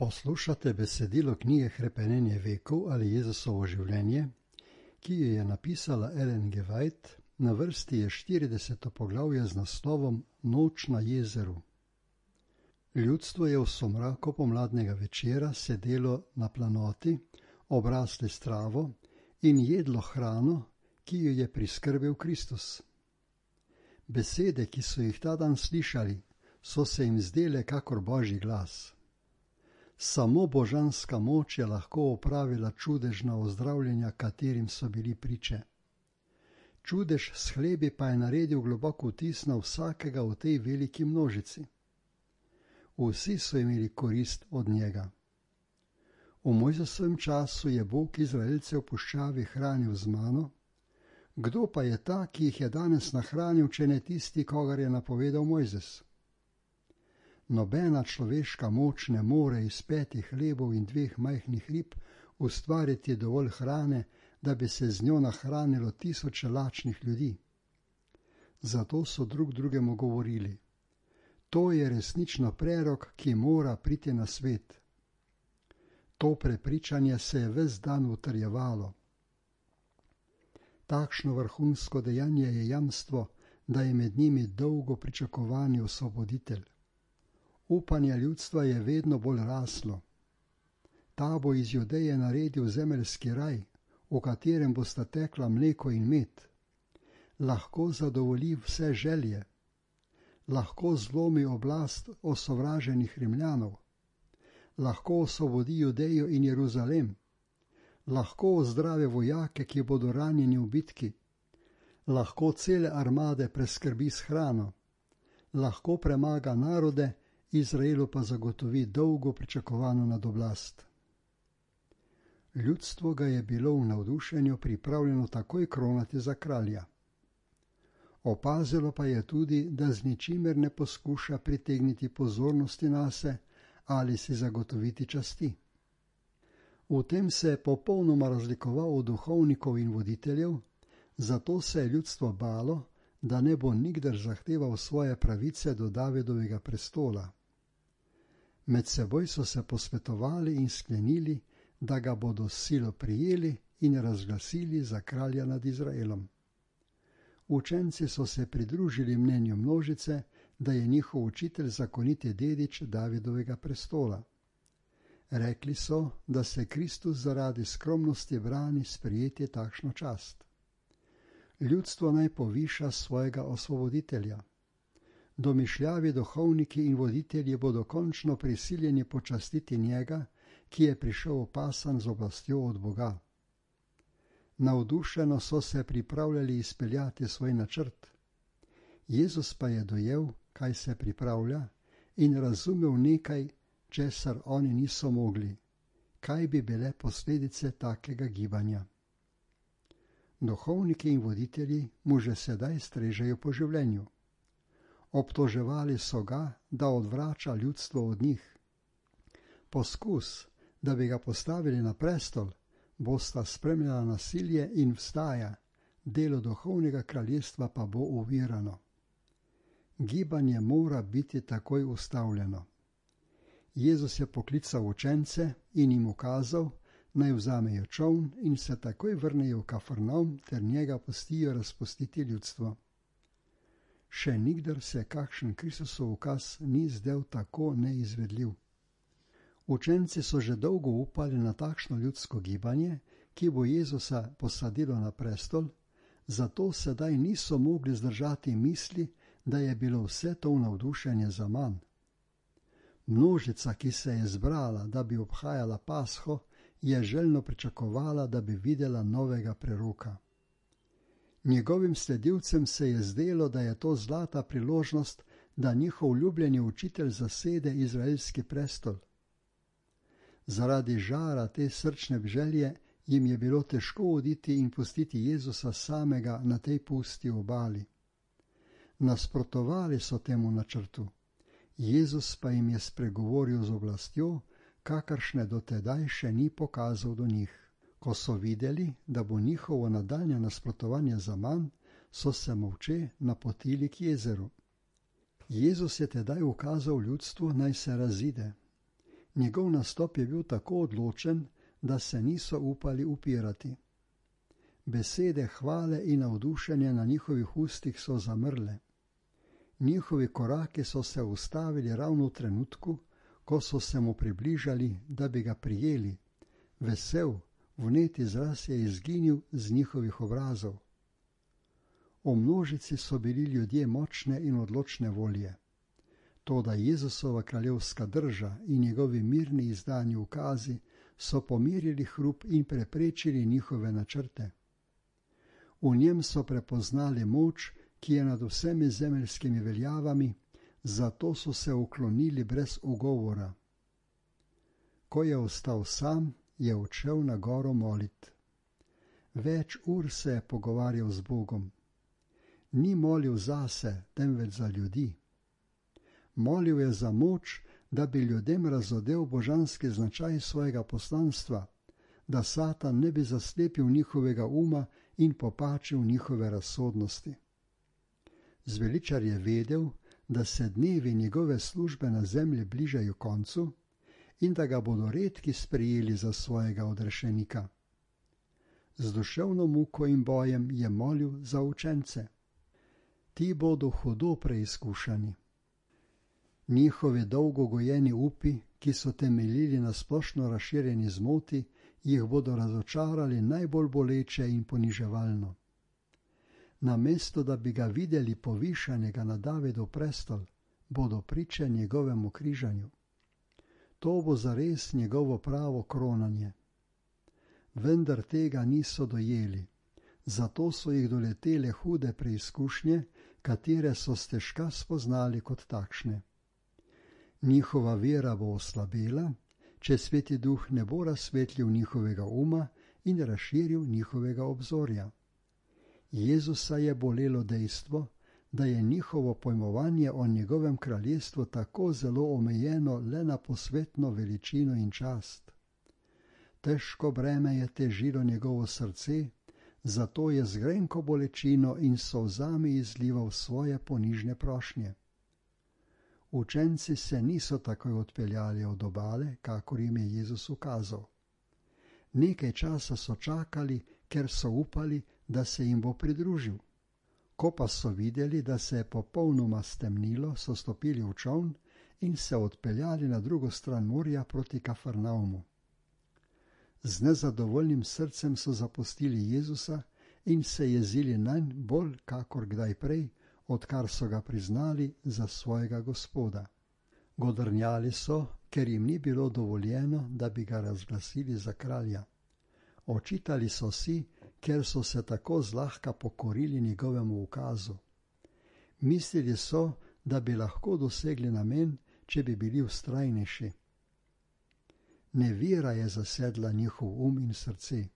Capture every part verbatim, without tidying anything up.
Poslušate besedilo knjige Hrepenenje vekov ali Jezusovo življenje, ki jo je napisala Ellen G. White, na vrsti je štirideseto poglavje z naslovom Noč na jezeru. Ljudstvo je v somraku pomladnega večera sedelo na planoti, obrasli s travo in jedlo hrano, ki jo je priskrbel Kristus. Besede, ki so jih ta dan slišali, so se jim zdele kakor božji glas. Samo božanska moč je lahko opravila čudežna ozdravljenja, katerim so bili priče. Čudež s hlebi pa je naredil globok vtis na vsakega v tej veliki množici. Vsi so imeli korist od njega. V Mojzesovem času je Bog Izraelce v puščavi hranil z mano. Kdo pa je ta, ki jih je danes nahranil, če ne tisti, kogar je napovedal Mojzes? Nobena človeška moč ne more iz petih hlebov in dveh majhnih rib ustvariti dovolj hrane, da bi se z njo nahranilo tisoče lačnih ljudi. Zato so drug drugemu govorili: to je resnično prerok, ki mora priti na svet. To prepričanje se je ves dan utrjevalo. Takšno vrhunsko dejanje je jamstvo, da je med njimi dolgo pričakovani osvoboditelj. Upanje ljudstva je vedno bolj raslo. Ta bo iz Judeje naredil zemeljski raj, v katerem bosta tekla mleko in med. Lahko zadovolji vse želje. Lahko zlomi oblast osovraženih Rimljanov. Lahko osvobodi Judejo in Jeruzalem. Lahko ozdravi vojake, ki bodo ranjeni v bitki. Lahko cele armade preskrbi s hrano. Lahko premaga narode, Izraelu pa zagotovi dolgo pričakovano nadoblast. Ljudstvo ga je bilo v navdušenju pripravljeno takoj kronati za kralja. Opazilo pa je tudi, da z ničimer ne poskuša pritegniti pozornosti nase ali si zagotoviti časti. V tem se je popolnoma razlikoval od duhovnikov in voditeljev, zato se je ljudstvo balo, da ne bo nikdar zahteval svoje pravice do Davidovega prestola. Med seboj so se posvetovali in sklenili, da ga bodo s silo prijeli in razglasili za kralja nad Izraelom. Učenci so se pridružili mnenju množice, da je njihov učitelj zakoniti dedič Davidovega prestola. Rekli so, da se Kristus zaradi skromnosti brani sprejeti takšno čast. Ljudstvo naj poviša svojega osvoboditelja. Domišljavi duhovniki in voditelji bodo končno prisiljeni počastiti njega, ki je prišel opasan z oblastjo od Boga. Navdušeno so se pripravljali izpeljati svoj načrt. Jezus pa je dojel, kaj se pripravlja, in razumel nekaj, česar oni niso mogli. Kaj bi bile posledice takega gibanja? Duhovniki in voditelji mu že sedaj strežejo po življenju. Obtoževali so ga, da odvrača ljudstvo od njih. Poskus, da bi ga postavili na prestol, bosta spremljala nasilje in vstaja, delo duhovnega kraljestva pa bo ovirano. Gibanje mora biti takoj ustavljeno. Jezus je poklical učence in jim ukazal, naj vzamejo čoln in se takoj vrnejo v Kafarnaum ter njega pustijo razpustiti ljudstvo. Še nikdar se kakšen Kristusov ukaz ni zdel tako neizvedljiv. Učenci so že dolgo upali na takšno ljudsko gibanje, ki bo Jezusa posadilo na prestol, zato sedaj niso mogli zdržati misli, da je bilo vse to navdušenje zaman. Množica, ki se je zbrala, da bi obhajala Pasho, je željno pričakovala, da bi videla novega preroka. Njegovim sledilcem se je zdelo, da je to zlata priložnost, da njihov ljubljeni učitelj zasede izraelski prestol. Zaradi žara te srčne želje jim je bilo težko oditi in pustiti Jezusa samega na tej pusti obali. Nasprotovali so temu načrtu. Jezus pa jim je spregovoril z oblastjo, kakršne do tedaj še ni pokazal do njih. Ko so videli, da bo njihovo nadaljnje nasprotovanje zaman, so se molče napotili k jezeru. Jezus je tedaj ukazal ljudstvu, naj se razide. Njegov nastop je bil tako odločen, da se niso upali upirati. Besede hvale in navdušenja na njihovih ustih so zamrle. Njihovi koraki so se ustavili ravno v trenutku, ko so se mu približali, da bi ga prijeli. Vesel, vnet izraz je izginil z njihovih obrazov. V množici so bili ljudje močne in odločne volje. Toda Jezusova kraljevska drža in njegovi mirni izdani ukazi so pomirili hrup in preprečili njihove načrte. V njem so prepoznali moč, ki je nad vsemi zemeljskimi veljavami, zato so se uklonili brez ugovora. Ko je ostal sam, je odšel na goro molit. Več ur se je pogovarjal z Bogom. Ni molil zase, temveč za ljudi. Molil je za moč, da bi ljudem razodel božanski značaj svojega poslanstva, da Satan ne bi zaslepil njihovega uma in popačil njihove razsodnosti. Zveličar je vedel, da se dnevi njegove službe na zemlji bližajo koncu in da ga bodo redki sprejeli za svojega odrešenika. Z duševno muko in bojem je molil za učence. Ti bodo hudo preizkušani. Njihovi dolgo gojeni upi, ki so temeljili na splošno razširjeni zmoti, jih bodo razočarali najbolj boleče in poniževalno. Namesto da bi ga videli povišanega na Davidov prestol, bodo priče njegovemu križanju. To bo zares njegovo pravo kronanje. Vendar tega niso dojeli, zato so jih doletele hude preizkušnje, katere so stežka spoznali kot takšne. Njihova vera bo oslabela, če Sveti Duh ne bo razsvetlil njihovega uma in razširil njihovega obzorja. Jezusa je bolelo dejstvo, da je njihovo pojmovanje o njegovem kraljestvu tako zelo omejeno le na posvetno veličino in čast. Težko breme je težilo njegovo srce, zato je z grenko bolečino in solzami izlival svoje ponižne prošnje. Učenci se niso takoj odpeljali od obale, kakor jim je Jezus ukazal. Nekaj časa so čakali, ker so upali, da se jim bo pridružil. Ko pa so videli, da se je popolnoma stemnilo, so stopili v čoln in se odpeljali na drugo stran morja proti Kafarnaumu. Z nezadovoljnim srcem so zapustili Jezusa in se jezili nanj bolj kakor kdaj prej, odkar so ga priznali za svojega Gospoda. Godrnjali so, ker jim ni bilo dovoljeno, da bi ga razglasili za kralja. Očitali so si, ker so se tako zlahka pokorili njegovemu ukazu. Mislili so, da bi lahko dosegli namen, če bi bili vztrajnejši. Nevera je zasedla njihov um in srce.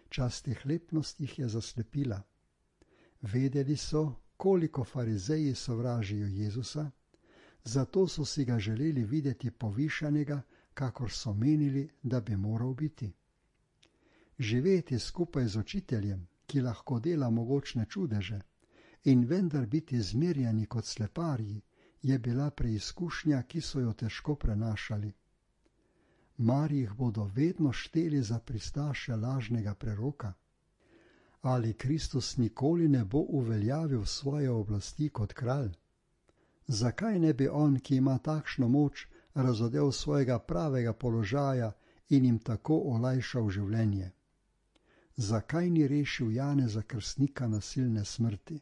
Častihlepnost jih je zaslepila. Vedeli so, koliko farizeji sovražijo Jezusa, zato so si ga želeli videti povišanega, kakor so menili, da bi moral biti. Živeti skupaj z učiteljem, ki lahko dela mogočne čudeže, in vendar biti zmerjani kot sleparji, je bila preizkušnja, ki so jo težko prenašali. Mar jih bodo vedno šteli za pristaše lažnega preroka? Ali Kristus nikoli ne bo uveljavil svoje oblasti kot kralj? Zakaj ne bi on, ki ima takšno moč, razodel svojega pravega položaja in jim tako olajšal življenje? Zakaj ni rešil Janeza Krstnika nasilne smrti?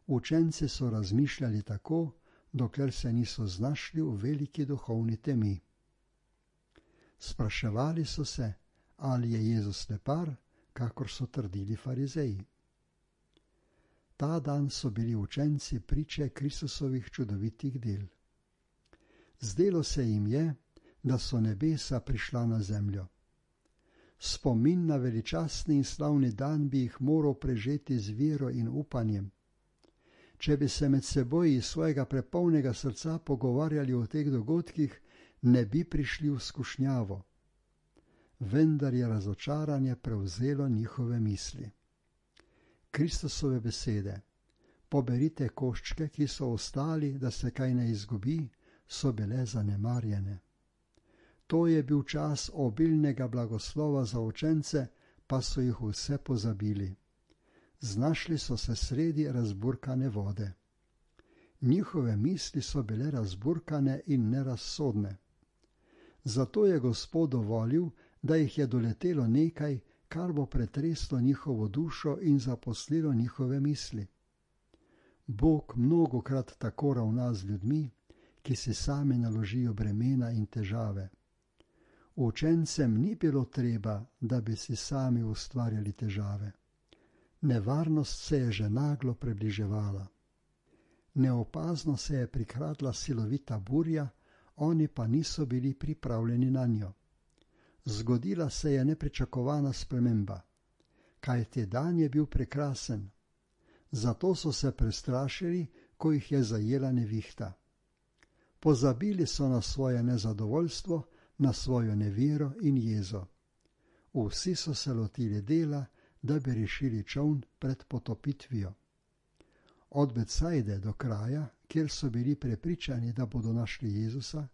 Učenci so razmišljali tako, dokler se niso znašli v veliki duhovni temi. Spraševali so se, ali je Jezus slepar, kakor so trdili farizeji. Ta dan so bili učenci priče Kristusovih čudovitih del. Zdelo se jim je, da so nebesa prišla na zemljo. Spomin na veličastni in slavni dan bi jih moral prežeti z vero in upanjem. Če bi se med seboj iz svojega prepolnega srca pogovarjali o teh dogodkih, ne bi prišli v skušnjavo. Vendar je razočaranje prevzelo njihove misli. Kristusove besede, poberite koščke, ki so ostali, da se kaj ne izgubi, so bile zanemarjene. To je bil čas obilnega blagoslova za učence, pa so jih vse pozabili. Znašli so se sredi razburkane vode. Njihove misli so bile razburkane in nerazsodne. Zato je Gospod dovolil, da jih je doletelo nekaj, kar bo pretreslo njihovo dušo in zaposlilo njihove misli. Bog mnogokrat tako ravna z ljudmi, ki si sami naložijo bremena in težave. Učencem ni bilo treba, da bi si sami ustvarjali težave. Nevarnost se je že naglo približevala. Neopazno se je prikradla silovita burja, oni pa niso bili pripravljeni na njo. Zgodila se je nepričakovana sprememba, kajti dan je bil prekrasen. Zato so se prestrašili, ko jih je zajela nevihta. Pozabili so na svoje nezadovoljstvo, na svojo nevero in jezo. Vsi so se lotili dela, da bi rešili čoln pred potopitvijo. Od Betsajde do kraja, kjer so bili prepričani, da bodo našli Jezusa,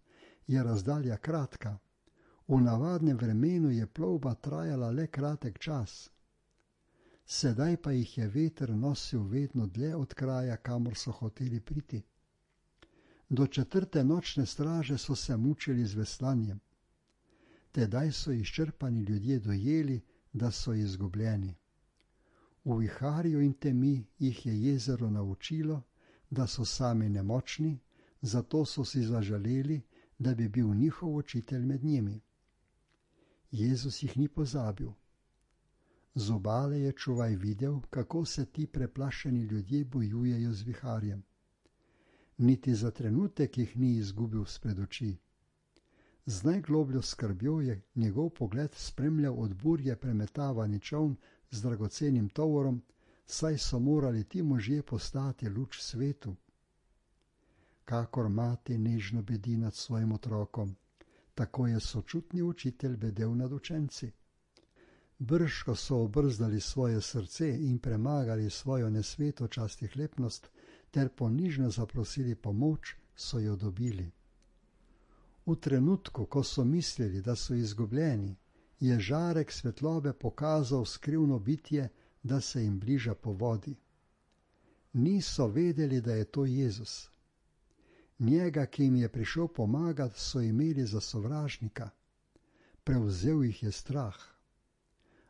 je razdalja kratka. V navadnem vremenu je plovba trajala le kratek čas. Sedaj pa jih je veter nosil vedno dlje od kraja, kamor so hoteli priti. Do četrte nočne straže so se mučili z veslanjem. Tedaj so izčrpani ljudje dojeli, da so izgubljeni. V viharju in temi jih je jezero naučilo, da so sami nemočni, zato so si zaželeli, da bi bil njihov učitelj med njimi. Jezus jih ni pozabil. Z obale je čuvaj videl, kako se ti preplašeni ljudje bojujejo z viharjem. Niti za trenutek jih ni izgubil spred oči. Z najglobljo skrbjo je njegov pogled spremljal od burje premetavani čoln z dragocenim tovorom, saj so morali ti možje postati luč svetu. Kakor mati nežno bedi nad svojim otrokom, tako je sočutni učitelj bedel nad učenci. Brž, ko so obrzdali svoje srce in premagali svojo nesvetočastihlepnost ter ponižno zaprosili pomoč, so jo dobili. V trenutku, ko so mislili, da so izgubljeni, je žarek svetlobe pokazal skrivno bitje, da se jim bliža po vodi. Niso vedeli, da je to Jezus. Njega, ki jim je prišel pomagati, so imeli za sovražnika. Prevzel jih je strah.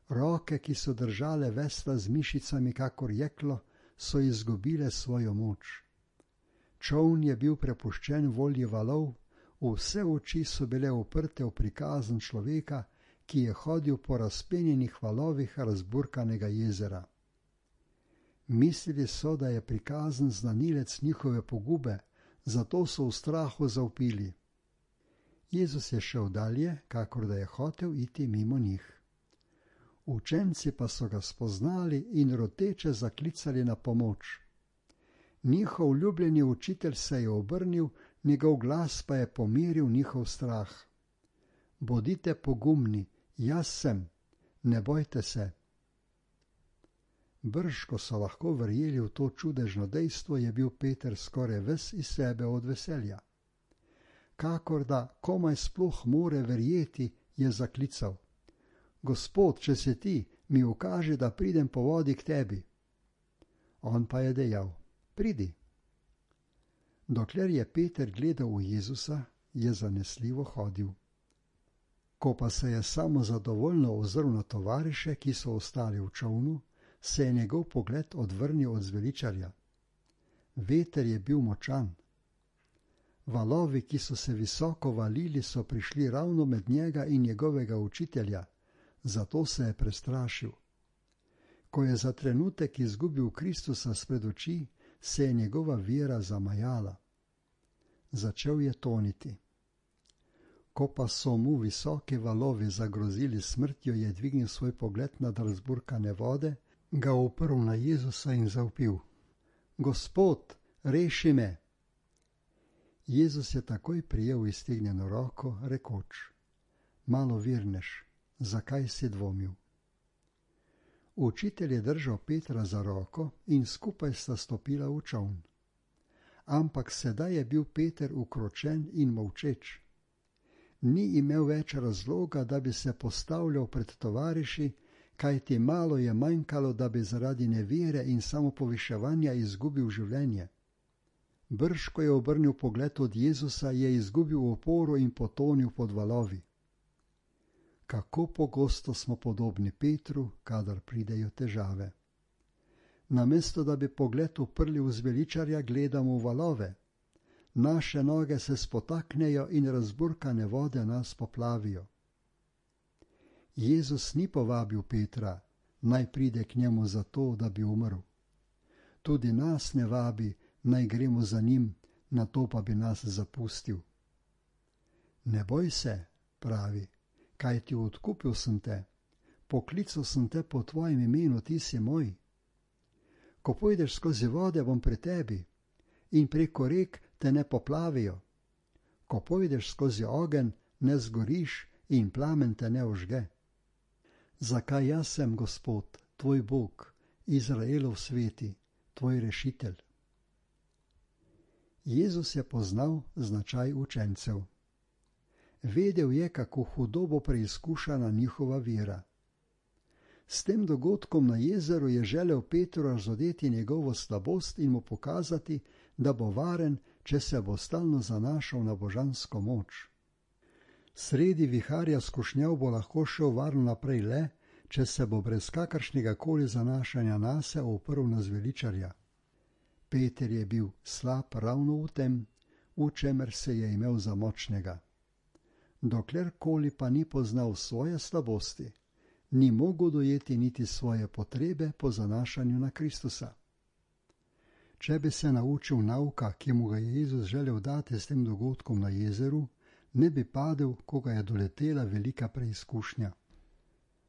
Roke, ki so držale vesla z mišicami kakor jeklo, so izgubile svojo moč. Čoln je bil prepuščen volji valov, vse oči so bile uprte v prikazen človeka, ki je hodil po razpenjenih valovih razburkanega jezera. Mislili so, da je prikazen znanilec njihove pogube, zato so v strahu zavpili. Jezus je šel dalje, kakor da je hotel iti mimo njih. Učenci pa so ga spoznali in roteče zaklicali na pomoč. Njihov ljubljeni učitelj se je obrnil, njegov glas pa je pomiril njihov strah. Bodite pogumni, jaz sem, ne bojte se. Brž, ko so lahko verjeli v to čudežno dejstvo, je bil Peter skoraj ves iz sebe od veselja. Kakor da komaj sploh more verjeti, je zaklical. Gospod, če se ti, mi ukaži, da pridem po vodi k tebi. On pa je dejal, pridi. Dokler je Peter gledal v Jezusa, je zanesljivo hodil. Ko pa se je samo zadovoljno ozrl na tovariše, ki so ostali v čolnu, se je njegov pogled odvrnil od zveličarja. Veter je bil močan. Valovi, ki so se visoko valili, so prišli ravno med njega in njegovega učitelja, zato se je prestrašil. Ko je za trenutek izgubil Kristusa spred oči, se je njegova vera zamajala. Začel je toniti. Ko pa so mu visoke valovi zagrozili smrtjo, je dvignil svoj pogled nad razburkane vode, ga oprl na Jezusa in zavpil. Gospod, reši me! Jezus je takoj prijel iztegnjeno roko, rekoč. Malo virneš, zakaj si dvomil? Učitelj je držal Petra za roko in skupaj sta stopila v čoln. Ampak sedaj je bil Peter ukročen in molčeč. ni imel več razloga, da bi se postavljal pred tovariši, kajti malo je manjkalo, da bi zaradi nevere in samopoviševanja izgubil življenje. Brž, ko je obrnil pogled od Jezusa, je izgubil oporo in potonil pod valovi. Kako pogosto smo podobni Petru, kadar pridejo težave. Namesto, da bi pogled uprli v zveličarja, gledamo v valove. Naše noge se spotaknejo in razburkane vode nas poplavijo. Jezus ni povabil Petra, naj pride k njemu zato, da bi umrl. Tudi nas ne vabi, naj gremo za njim, nato pa bi nas zapustil. Ne boj se, pravi, kajti odkupil sem te, poklical sem te po tvojem imenu, ti si moj. Ko pojdeš skozi vode, bom pri tebi, in preko rek te ne poplavijo. Ko pojdeš skozi ogenj, ne zgoriš in plamen te ne ožge. Zakaj jaz sem Gospod, tvoj Bog, Izraelov sveti, tvoj rešitelj? Jezus je poznal značaj učencev. Vedel je, kako hudo bo preizkušana njihova vera. S tem dogodkom na jezeru je želel Petru razodeti njegovo slabost in mu pokazati, da bo varen, če se bo stalno zanašal na božansko moč. Sredi viharja skušnjav bo lahko šel varno naprej le, če se bo brez kakršnega koli zanašanja nase oprl na zveličarja. Peter je bil slab ravno v tem, v čemer se je imel za močnega. Doklerkoli pa ni poznal svoje slabosti, ni mogel dojeti niti svoje potrebe po zanašanju na Kristusa. Če bi se naučil nauka, ki mu ga je Jezus želel dati s tem dogodkom na jezeru, ne bi padel, ko ga je doletela velika preizkušnja.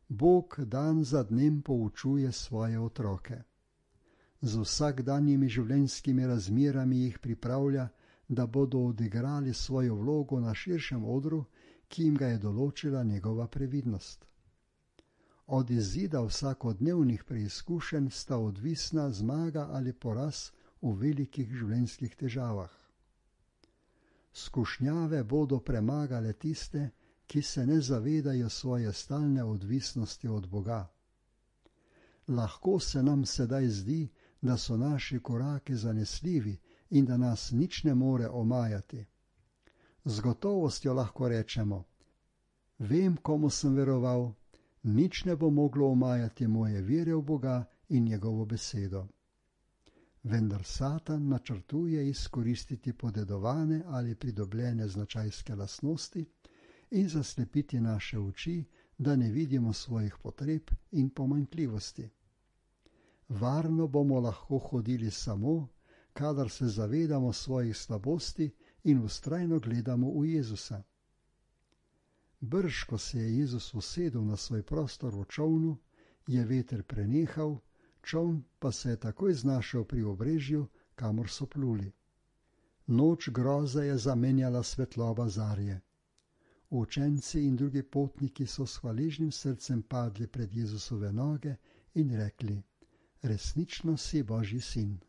Bog dan za dnem poučuje svoje otroke. Z vsakdanjimi življenjskimi razmerami jih pripravlja, da bodo odigrali svojo vlogo na širšem odru, ki jim ga je določila njegova previdnost. Od izida vsakodnevnih preizkušenj sta odvisna zmaga ali poraz v velikih življenjskih težavah. Skušnjave bodo premagale tiste, ki se ne zavedajo svoje stalne odvisnosti od Boga. Lahko se nam sedaj zdi, da so naši koraki zanesljivi in da nas nič ne more omajati. Z gotovostjo lahko rečemo: vem, komu sem veroval, nič ne bo moglo omajati moje vere v Boga in njegovo besedo. Vendar Satan načrtuje izkoristiti podedovane ali pridobljene značajske lastnosti in zaslepiti naše oči, da ne vidimo svojih potreb in pomanjkljivosti. Varno bomo lahko hodili samo, kadar se zavedamo svojih slabosti in vztrajno gledamo v Jezusa. Brž, ko se je Jezus usedel na svoj prostor v čolnu, je veter prenehal, čoln pa se je takoj znašel pri obrežju, kamor so pluli. Noč groze je zamenjala svetloba zarje. Učenci in drugi potniki so s hvaležnim srcem padli pred Jezusove noge in rekli: resnično si Božji sin.